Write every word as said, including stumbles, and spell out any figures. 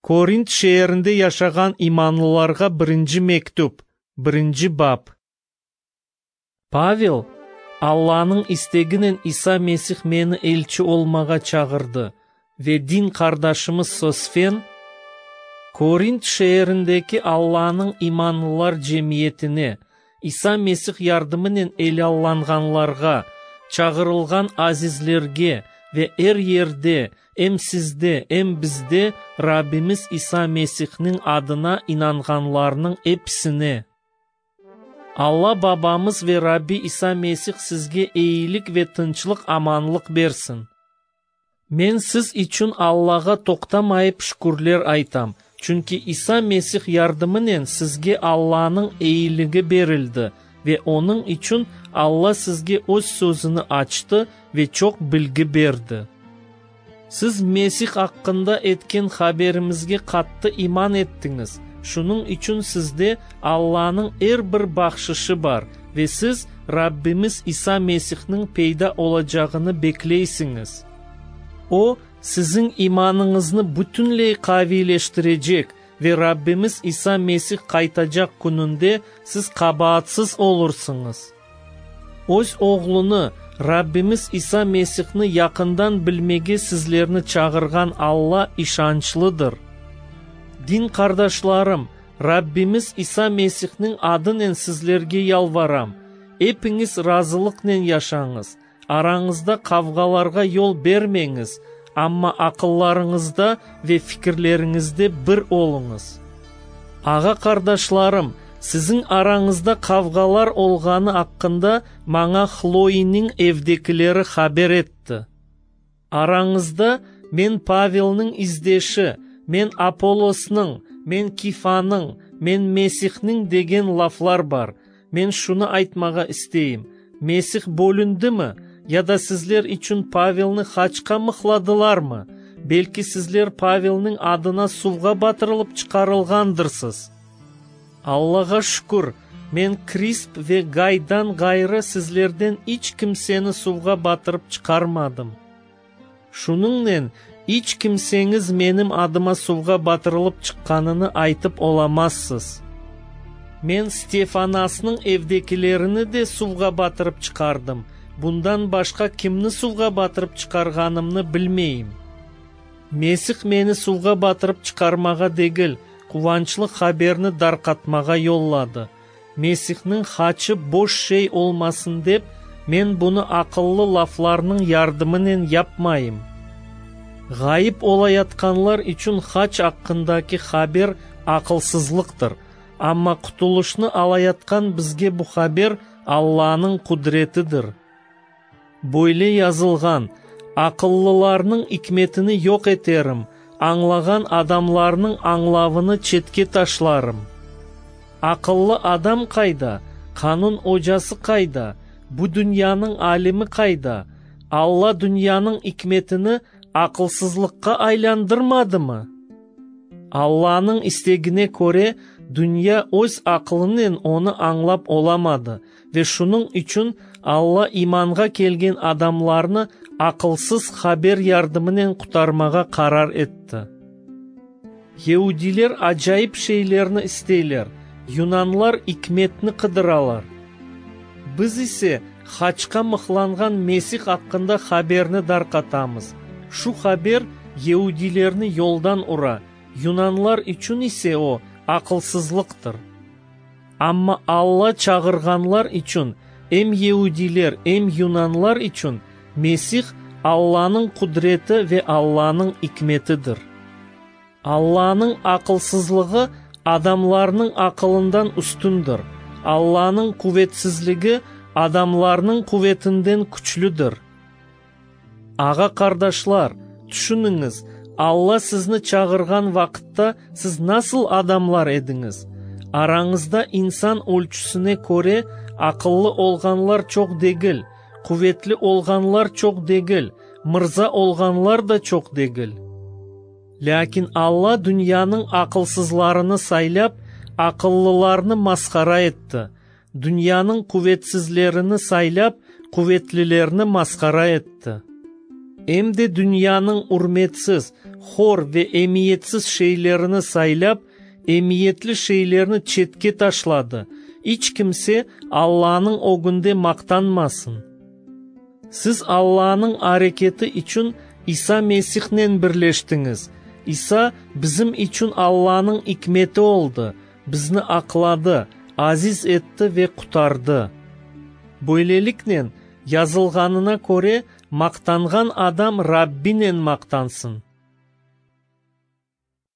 Korint şeerinde yaşağan imanlılarğa birinci mektüp, birinci bap. Pavel, Allanıñ isteginen İsa Mesih meni elçi olmağa çağırdı, ve din qardaşımız Sosfen, Korint şeerindeki Allanıñ imanlılar cemiyetine, İsa Mesih yardımınen elâllanğanlarğa, çağırılğan azizlerge ve er yerde, em sizde, em bizde Rabbimiz İsa Mesihniñ adına inanğanlarnıñ episine. Alla Babamız ve Rabbi İsa Mesih sizge eyilik ve tınçlıq-amanlıq bersin. Men siz içün Allağa toqtamayıp şükürler aytam, çünki İsa Mesih yardımınen sizge Allanıñ eyiligi berildi ve onıñ içün Alla sizge Öz sözüni açtı ve çoq bilgi berdi. Siz Mesih aqqında etken haberimizge qattı iman ettiñiz, şunıñ içün sizde Allanıñ er bir bahşışı bar ve siz Rabbimiz İsa Mesihniñ peyda olacağını bekleysiñiz. O, siziñ imanıñıznı bütünley qaviyleştirecek ve Rabbimiz İsa Mesih qaytacaq kününde siz qabaatsız olursıñız. Öz Oğlunı, Rabbimiz İsa Mesihni yaqından bilmege sizlerni çağırğan Alla işançlıdır. Din qardaşlarım, Rabbimiz İsa Mesihniñ adınen sizlerge yalvaram, epiñiz razılıqnen yaşañız, arañızda qavğalarğa yol bermeñiz, amma aqıllarıñızda ve fikirleriñizde bir oluñız. Ağa-qardaşlarım, siziñ arañızda qavğalar olğanı aqqında maña Hloiniñ evdekileri haber etti. Arañızda men Pavelniñ izdeşi, men Apollosnıñ, men Kifanıñ, men Mesihniñ degen laflar bar. Men şunı aytmağa isteyim: Mesih bölündimi? Ya da sizler içün Pavelni haçqa mıhladılarmı? Belki sizler Pavelniñ adına suvğa batırılıp çıqarılğandırsız. Allağa şükür, men Krisp ve Gaydan ğayrı sizlerden iç kimseni suvğa batırıp çıqarmadım. Şunıñnen iç kimseñiz menim adıma suvğa batırılıp çıqqanını aytıp olamazsız. Men Stefanasnıñ evdekilerini de suvğa batırıp çıqardım. Bundan başqa kimni suvğa batırıp çıqarğanımnı bilmeyim. Mesih meni suvğa batırıp çıqarmağa degil, quvançlı haberni darqatmağa yolladı. Mesihniñ haçı boş şey olmasın dep, men bunı aqıllı laflarnıñ yardımınen yapmayım. Ğayıp olayatqanlar içün haç aqqındaki haber aqılsızlıqtır, amma qutulışnı alayatqan bizge bu haber Allanıñ qudretidir. Böyle yazılğan: Aqıllılarnıñ ikmetini yoq eterim, añlağan adamlarnıñ añlavını çetke taşlarım. Aqıllı adam qayda? Qanun ocası qayda? Bu dünyanıñ alimi qayda? Alla dünyanıñ ikmetini aqılsızlıqqa aylandırmadımı? Allanıñ istegine köre, dünya öz aqılınen onı añlap olamadı ve şunıñ içün Alla imanğa kelgen adamlarnı aqılsız haber yardımınen qurtarmağa qarar etti. Yeudiler acayip şeylerni isteyler, yunanlar ikmetni qıdıralar. Biz ise haçqa mıhlanğan Mesih aqqında haberni darqatamız. Şu haber yeudilerni yoldan ura, yunanlar içün ise o aqılsızlıqtır. Amma Alla çağırğanlar içün, em yeudiler, em yunanlar içün Mesih Allanıñ qudreti ve Allanıñ ikmetidir. Allanıñ aqılsızlığı adamlarnıñ aqılından üstündir. Allanıñ quvetsizligi adamlarnıñ quvetinden küçlüdir. Ağa-qardaşlar, tüşüniñiz, Alla sizni çağırğan vaqıtta siz nasıl adamlar ediñiz? Arañızda insan ölçüsine köre aqıllı olğanlar çoq degil, quvetli olğanlar çoq degil, mırza olğanlar da çoq degil. Lâkin Alla dünyanıñ aqılsızlarını saylap, aqıllılarnı masqara etti. Dünyanıñ quvetsizlerini saylap, quvetlilerni masqara etti. Em de dünyanıñ ürmetsiz, hor ve emiyetsiz şeylerini saylap, emiyetli şeylerni çetke taşladı. İç kimse Allanıñ ögünde maqtanmasın. Siz Allanıñ areketi içün İsa Mesihnen birleştiñiz. İsa bizim içün Allanıñ ikmeti oldı, bizni aqladı, aziz etti ve qurtardı. Böyleliknen, yazılğanına köre, maqtanğan adam Rabbinen maqtansın.